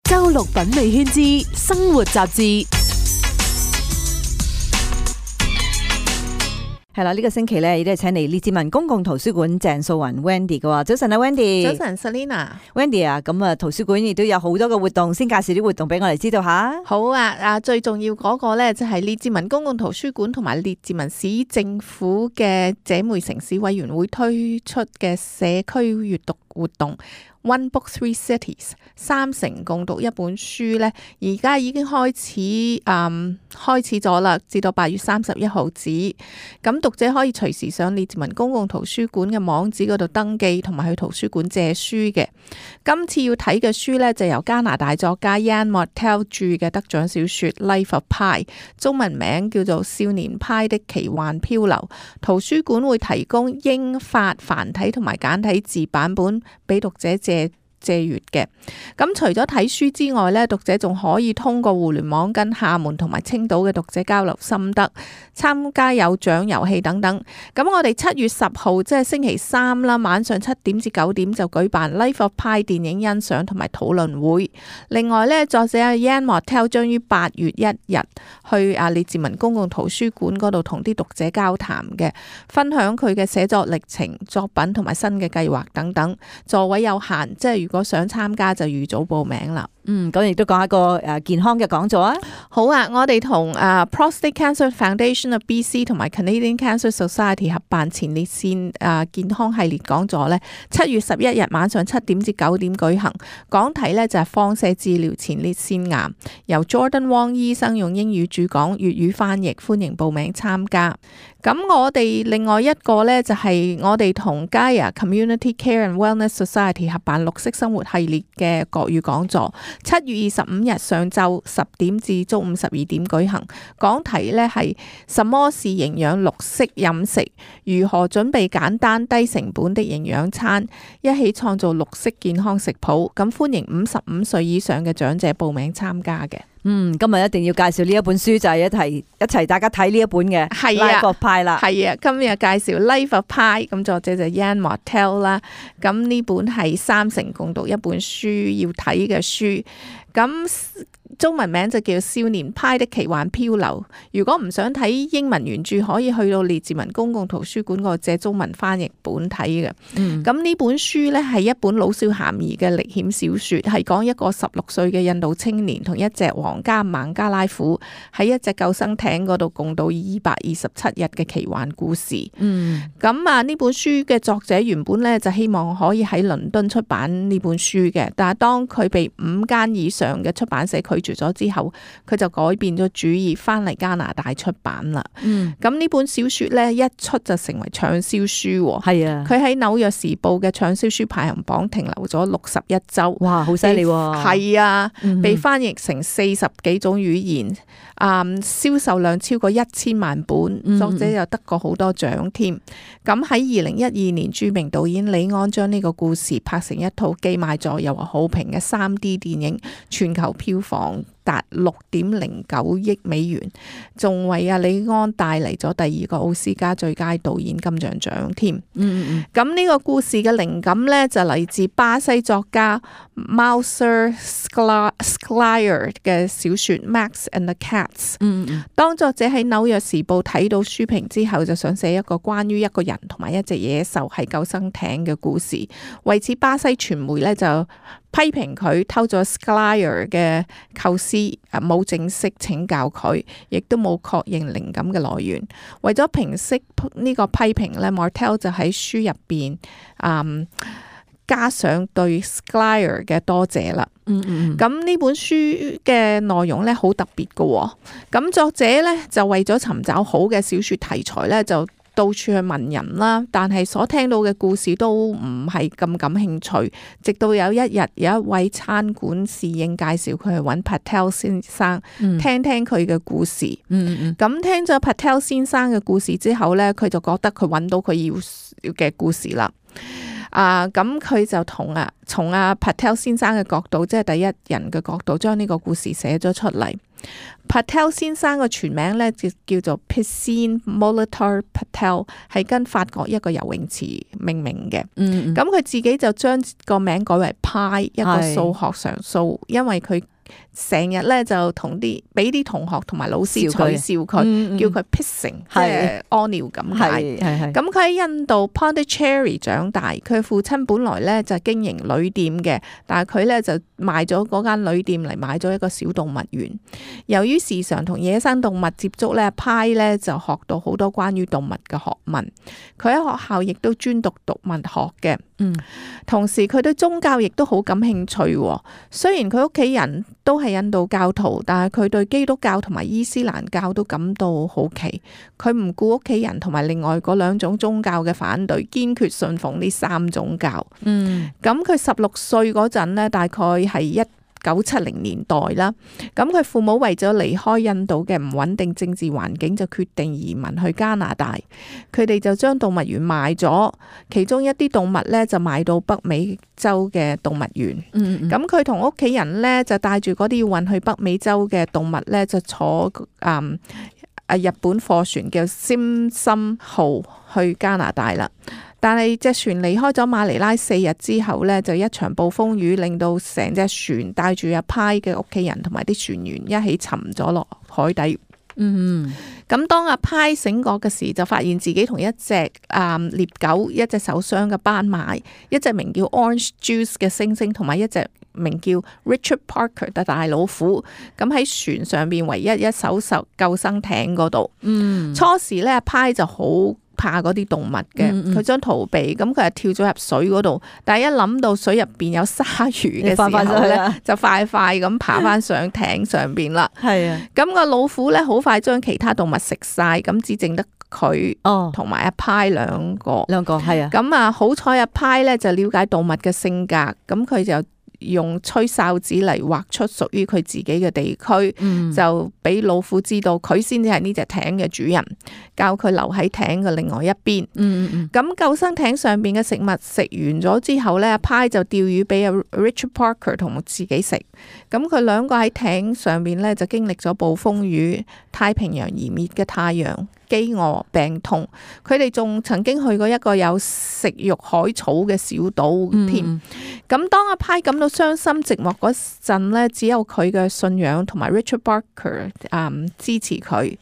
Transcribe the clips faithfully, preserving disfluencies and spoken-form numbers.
周六品味圈之生活雜誌。係啦，呢個星期咧，亦都係請嚟列治文公共圖書館鄭素雲 Wendy 嘅喎。早晨啊 Wendy。早晨 Selina。Wendy 啊，咁啊圖書館亦都有好多嘅活動，先介紹啲活動俾我哋知道下。好啊，啊最重要嗰個咧就係列治文公共圖書館同埋列治文市政府嘅姐妹城市委員會推出嘅社區閱讀活動。One Book Three Cities 三城共讀一本書咧，而家已經開始嗯開始咗啦，至到八月三十一號止。咁讀者可以隨時上列治文公共圖書館嘅網址嗰度登記，同埋去圖書館借書嘅。今次要睇嘅書咧，就由加拿大作家 Yann Martel 著嘅得獎小說《Life of Pi》，中文名叫做《少年派的奇幻漂流》。圖書館會提供英法繁體同埋簡體字版本俾讀者借借閱嘅。咁除咗睇書之外咧，讀者仲可以通過互聯網跟廈門同埋青島嘅讀者交流心得，參加有獎遊戲等等。咁我哋七月十號即係星期三啦，晚上七點至九點就舉辦 Life of Pi 電影欣賞同埋討論會。另外咧，作者 Yann Martel 將於八月一日去啊列治文公共圖書館嗰度同啲讀者交談嘅，分享佢嘅寫作歷程、作品同埋新嘅計劃等等。座位有限，即係如果想參加就預早報名啦。嗯，咁亦都講一個誒健康嘅講座啊。好啊，我哋同誒 Prostate Cancer Foundation of B C 同埋 Canadian Cancer Society 合辦前列腺誒健康系列講座咧，七月十一日晚上七點至九點舉行。講題咧就係放射治療前列腺癌，由 Jordan Wong 醫生用英語主講，粵語翻譯，歡迎報名參加。咁我哋另外一個咧就係我哋同 Gaia Community Care and Wellness Society 合辦綠色生活系列嘅國語講座，七月二十五日上晝十點至中午十二點舉行。講題咧係什麼是營養綠色飲食，如何準備簡單低成本的營養餐，一起創造綠色健康食譜。咁歡迎五十五歲以上嘅長者報名參加嘅。嗯，今日一定要介紹呢一本書，就係一齊一齊大家睇呢一本嘅《Life of Pi》啦。係啊，今日介紹《Life of Pi》，咁作者就 Yann Martel 啦。咁呢本係三城共讀一本書要睇嘅書。咁中文名就叫《少年派的奇幻漂流》。如果唔想睇英文原著，可以去到列治文公共圖書館嗰度借中文翻譯本睇嘅。咁呢、嗯、本書呢係一本老少咸宜嘅歷險小說，係講一個十六歲嘅印度青年同一隻皇家孟加拉虎喺一隻救生艇嗰度共度二百二十七日嘅奇幻故事。咁、嗯、啊呢本書嘅作者原本呢就希望可以喺倫敦出版呢本書嘅，但係當佢被五間以上嘅出版社拒絕咗之後，佢就改變咗主意，翻嚟加拿大出版啦。嗯，咁呢本小說咧一出就成為暢銷書。係啊，佢喺紐約時報嘅暢銷書排行榜停留咗六十一周。哇，好犀利喎！係啊，嗯、被翻譯成四十幾種語言，啊、嗯，銷售量超過一千萬本，嗯、作者又得過好多獎添。咁喺二零一二年，著名導演李安將呢個故事拍成一套既賣座又話好評嘅三 D 電影，全球票房達六點零九億美元，仲為阿李安帶嚟咗第二個奧斯卡最佳導演金像獎添。嗯嗯嗯。咁呢個故事嘅靈感呢，就嚟自巴西作家 Mauser Sklyer 嘅小說《Max and the Cats》。嗯嗯。當作者喺紐約時報睇到書評之後，就想寫一個關於一個人同埋一隻野獸喺救生艇嘅故事。為此，巴西傳媒呢就批評佢偷咗 Sklyer 嘅構思，冇正式請教佢，亦都冇確認靈感嘅來源。為咗平息呢個批評咧 Martel 就喺書入邊嗯加上對 Sklyer 嘅多謝啦。嗯嗯，咁呢本書嘅內容咧好特別嘅。咁作者咧就為咗尋找好嘅小說題材咧，就到處去問人啦，但係所聽到嘅故事都唔係咁感興趣。直到有一日，有一位餐館侍應介紹佢去揾 Patel 先生，嗯、聽聽佢嘅故事。嗯嗯，咁聽咗 Patel 先生嘅故事之後呢，佢就覺得佢揾到佢要嘅故事啦。啊，咁佢就同啊從阿 Patel 先生嘅角度，即係第一人嘅角度，將呢個故事寫咗出嚟。Patel 先生嘅全名咧就叫做 Piscine Molitor Patel， 係跟法國一個游泳池命名嘅。嗯，咁佢自己就將個名改為 Pi， 一個數學常數，因為佢成日咧就同啲俾啲同學同埋老師取笑佢，嗯嗯、叫佢 pissing， 即係屙尿咁解。咁佢喺印度 Pondicherry 長大，佢父親本來咧就經營旅店嘅，但係佢咧就賣咗嗰間旅店嚟買咗一個小動物園。由於時常同野生動物接觸咧，派咧就學到好多關於動物嘅學問。佢喺學校亦都專讀動物學嘅。嗯，同時佢對宗教亦都好感興趣。雖然佢屋企人都係印度教徒，但係佢對基督教同埋伊斯蘭教都感到好奇。佢唔顧屋企人同埋另外嗰兩種宗教嘅反對，堅決信奉呢三種教。嗯，咁佢十六歲嗰陣呢，大概係一九七零年代啦。咁佢父母為咗離開印度嘅唔穩定政治環境，就決定移民去加拿大。佢哋就將動物園賣咗，其中一啲動物咧就賣到北美洲嘅動物園。咁佢同屋企人咧就帶住嗰啲要運去北美洲嘅動物咧，就坐嗯啊日本貨船叫尖心號去加拿大啦。但係隻船離開咗馬尼拉四日之後呢，就一場暴風雨令到成隻船帶住阿派嘅屋企人同埋啲船員一起沉咗落海底。嗯，咁當阿派醒覺嘅時，就發現自己同一隻啊獵狗、一隻受傷嘅斑馬、一隻名叫 Orange Juice 嘅猩猩，同埋一隻名叫 Richard Parker 嘅大老虎，咁喺船上邊唯一一艘救生艇嗰度。嗯，初時呢，阿派就好怕嗰啲動物嘅，佢想逃避，咁佢係跳咗入水嗰度，但係一諗到水入邊有鯊魚嘅時候咧，就快快咁爬翻上艇上邊啦。係啊，咁個老虎咧好快將其他動物食晒，咁只剩得佢同埋阿派兩個，兩個係啊。咁啊好彩阿派咧就了解動物嘅性格，咁佢就用吹哨子嚟畫出屬於佢自己嘅地區，嗯、就俾老虎知道佢先至係呢隻艇嘅主人，教佢留喺艇嘅另外一邊。咁、嗯嗯、救生艇上邊嘅食物食完咗之後呢，阿派就釣魚俾阿 Richard Parker 同自己食。咁佢兩個喺艇上邊呢，就經歷咗暴風雨、太平洋移滅嘅太陽、飢餓、病痛。佢哋仲曾經去過一個有食肉海草嘅小島添。咁、嗯、當阿派感到傷心寂寞嗰陣呢，只有佢嘅信仰同埋 Richard Parker、嗯、支持佢。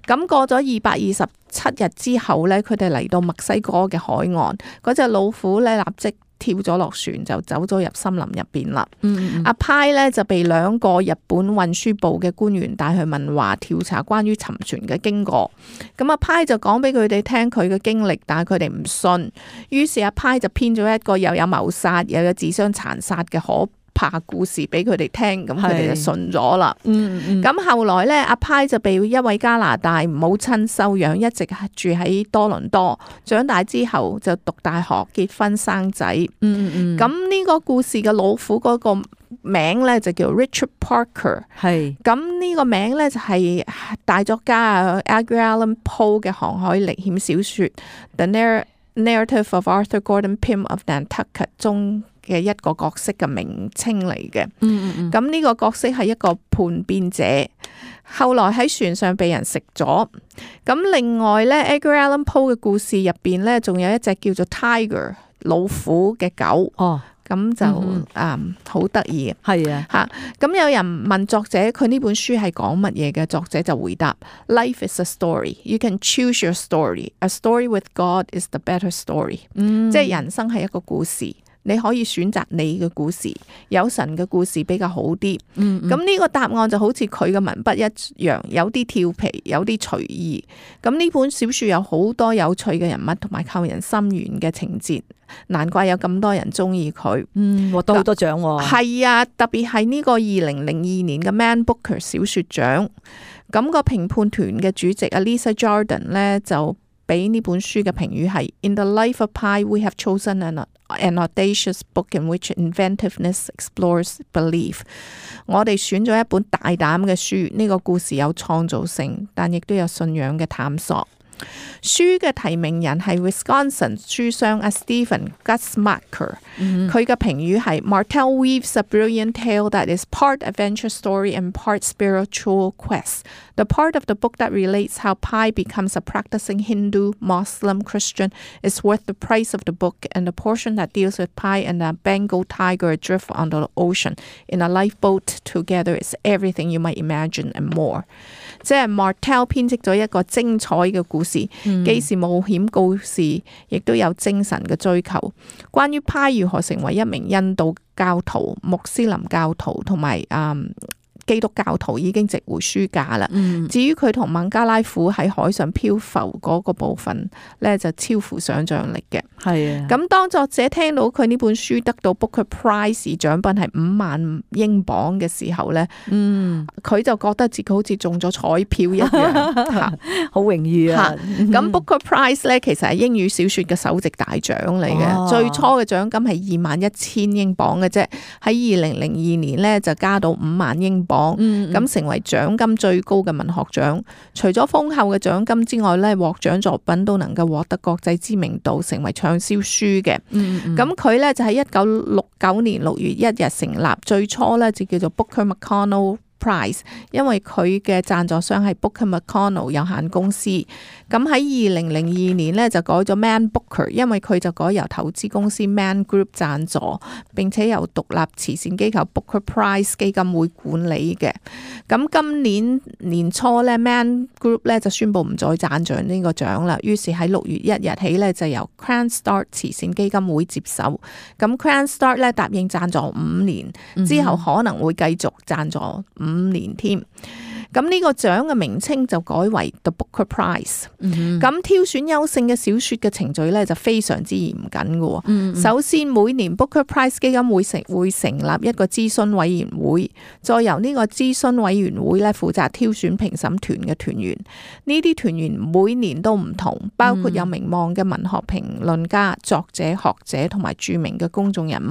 咁過咗二百二十七日之後呢，佢哋嚟到墨西哥嘅海岸，嗰隻老虎呢，立即跳咗落船，就走咗入森林入邊啦。嗯嗯阿派呢，就被兩個日本運輸部嘅官員帶去問話，調查關於沉船嘅經過。咁阿派就講俾佢哋聽佢嘅經歷，但係佢哋唔信。於是阿派就編咗一個又有謀殺又有自相殘殺嘅可怕故事俾佢哋聽，咁佢哋就信咗啦。嗯嗯。咁後來呢，阿派就被一位加拿大母親收養，一直住喺多倫多。長大之後就讀大學、結婚、生仔。嗯嗯。咁呢個故事嘅老虎嗰個名呢，就叫 Richard Parker。係。咁呢個名呢，就係大作家啊 Edgar Allan Poe 嘅航海歷險小說 The Narrative of Arthur Gordon Pym of Nantucket 中嘅一個角色嘅名稱嚟嘅。嗯嗯，咁呢個角色係一個叛變者，後來喺船上被人食咗。咁另外咧 Edgar Allan Poe 嘅故事入邊咧，仲有一隻叫做 Tiger 老虎嘅狗。哦，咁就啊好得意嘅。係啊，吓咁有人問作者佢呢本書係講乜嘢嘅，作者就回答 Life is a story. You can choose your story. A story with God is the better story. 嗯，即係人生係一個故事。你可以選擇你嘅故事，有神嘅故事比較好啲。嗯，咁呢個答案就好似佢嘅文筆一樣，有啲跳皮，有啲隨意。咁呢本小說有好多有趣嘅人物同埋扣人心弦嘅情節，難怪有咁多人中意佢。嗯，獲得好多獎喎。係啊，特別係呢個二零零二年嘅 Man Booker 小說獎。咁個評判團嘅主席 Lisa Jordan 呢，就俾呢本書嘅評語係 In the life of Pi, we have chosen an an audacious book in which inventiveness explores belief. 我哋選咗一本大膽嘅書，呢個故事有創造性，但亦都有信仰嘅探索。書嘅提名人係 Wisconsin 書商阿 Stephen Gutzmacher，佢嘅評語係 Martel weaves a brilliant tale that is part adventure story and part spiritual quest. The part of the book that relates how pi becomes a practicing Hindu, Muslim, Christian is worth the price of the book, and the portion that deals with pi and a Bengal tiger adrift on the ocean in a lifeboat together is everything you might imagine and more. 即係 Martel 編織咗一個精彩嘅故事，既是冒險故事，亦都有精神嘅追求。關於派如何成為一名印度教徒、穆斯林教徒同埋嗯基督教徒已經值回書價啦。嗯、至於佢同孟加拉虎喺海上漂浮嗰個部分咧，就超乎想像力嘅。係啊，咁當作者聽到佢呢本書得到 Booker Prize 獎品係五萬英鎊嘅時候咧，嗯，佢就覺得自己好似中咗彩票一樣，好榮譽啊！咁 Booker Prize 咧其實係英語小説嘅首席大獎嚟嘅，哦、最初嘅獎金係二萬一千英鎊嘅啫，喺二零零二年咧就加到五萬英鎊。咁、嗯、成為獎金最高嘅文學獎，除咗豐厚嘅獎金之外咧，獲獎作品都能夠獲得國際知名度，成為暢銷書嘅。咁佢咧就喺一九六九年六月一日成立，最初咧就叫做 Booker McConnell Prize， 因為佢嘅贊助商係 Booker McConnell 有限公司。咁喺二零零二年咧就改咗 Man Booker， 因為佢就改由投資公司 Man Group 贊助，並且由獨立慈善機構 Booker Prize 基金會管理嘅。咁今年年初咧 Man Group 咧就宣布唔再贊助呢個獎啦，於是喺六月一日起咧就由 Cranstart 慈善基金會接手。咁 Cranstart 咧答應贊助五年，之後可能會繼續贊助五年添。咁呢個獎嘅名稱就改為 The Booker Prize。咁、嗯、挑選優勝嘅小說嘅程序咧就非常之嚴謹嘅。嗯、首先每年 Booker Prize 基金會成會成立一個諮詢委員會，再由呢個諮詢委員會咧負責挑選評審團嘅團員。呢啲團員每年都唔同，包括有名望嘅文學評論家、作者、學者同埋著名嘅公眾人物。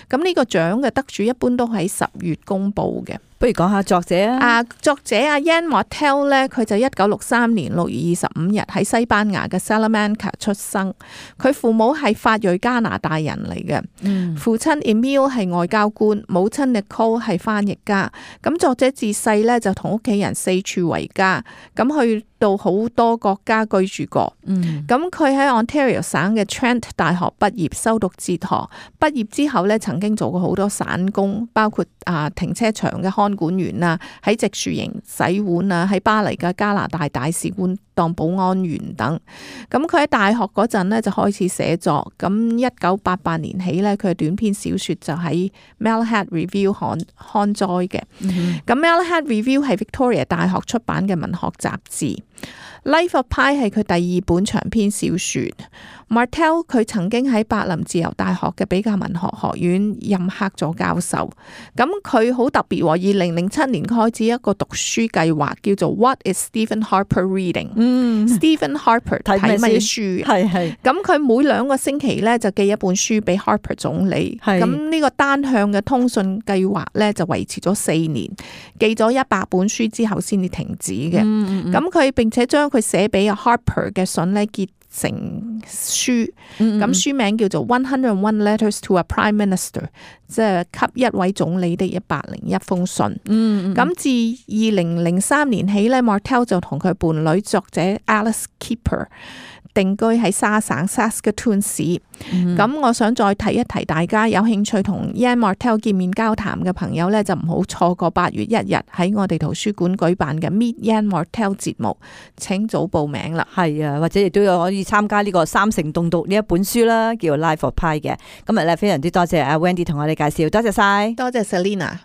咁呢個獎嘅得主一般都喺十月公布嘅。不如講下作者啊！啊，作者阿 Yann Martel 咧，佢就一九六三年六月二十五日喺西班牙嘅 Salamanca 出生。佢父母係法裔加拿大人嚟嘅，嗯、父親 Emile 係外交官，母親 Nicole 係翻譯家。咁作者自細咧就同屋企人四處為家，咁去到好多國家居住過。咁佢喺 Ontario 省嘅 Trent 大學畢業，修讀哲學。畢業之後咧，曾經做過好多散工，包括啊停車場嘅看管員啊，喺植樹營洗碗啊，喺巴黎嘅加拿大大使館當保安員等。咁佢喺大學嗰陣咧就開始寫作。咁一九八八年起咧，佢嘅短篇小說就喺 Malahide Review 刊刊載嘅。咁、嗯、Malahide Review 係 Victoria 大學出版嘅文學雜誌。Life of Pi 係佢第二本長篇小說。Martel 佢曾經喺柏林自由大學嘅比較文學學院任客座教授。咁佢好特別喎，二零零七年開始一個讀書計劃，叫做 What is Stephen Harper Reading？ 嗯 Stephen Harper 睇乜嘢書？係係。咁佢每兩個星期咧就寄一本書俾 Harper 總理。咁呢個單向嘅通訊計劃咧就維持咗四年，寄咗一百本書之後先至停止嘅。咁佢、嗯嗯、並且將佢寫俾 Harper 嘅信咧結成書，咁、嗯嗯、書名叫做 One Hundred One Letters to a Prime Minister， 即係給一位總理的一百零一封信。咁、嗯嗯、自二零零三年起咧 Martel 就同佢伴侶作者 Alice Keeper定居喺沙省 Saskatoon 市。咁、嗯、我想再提一提大家有興趣同 Yann Martel 見面交談嘅朋友咧，就唔好錯過八月一日喺我哋圖書館舉辦嘅 Meet Yann Martel 節目，請早報名啦。係啊，或者亦都有可以參加呢個三城動讀呢一本書啦，叫 Life of Pi 嘅。今日咧非常之多謝阿 Wendy 同我哋介紹，多謝晒，多謝 Selina。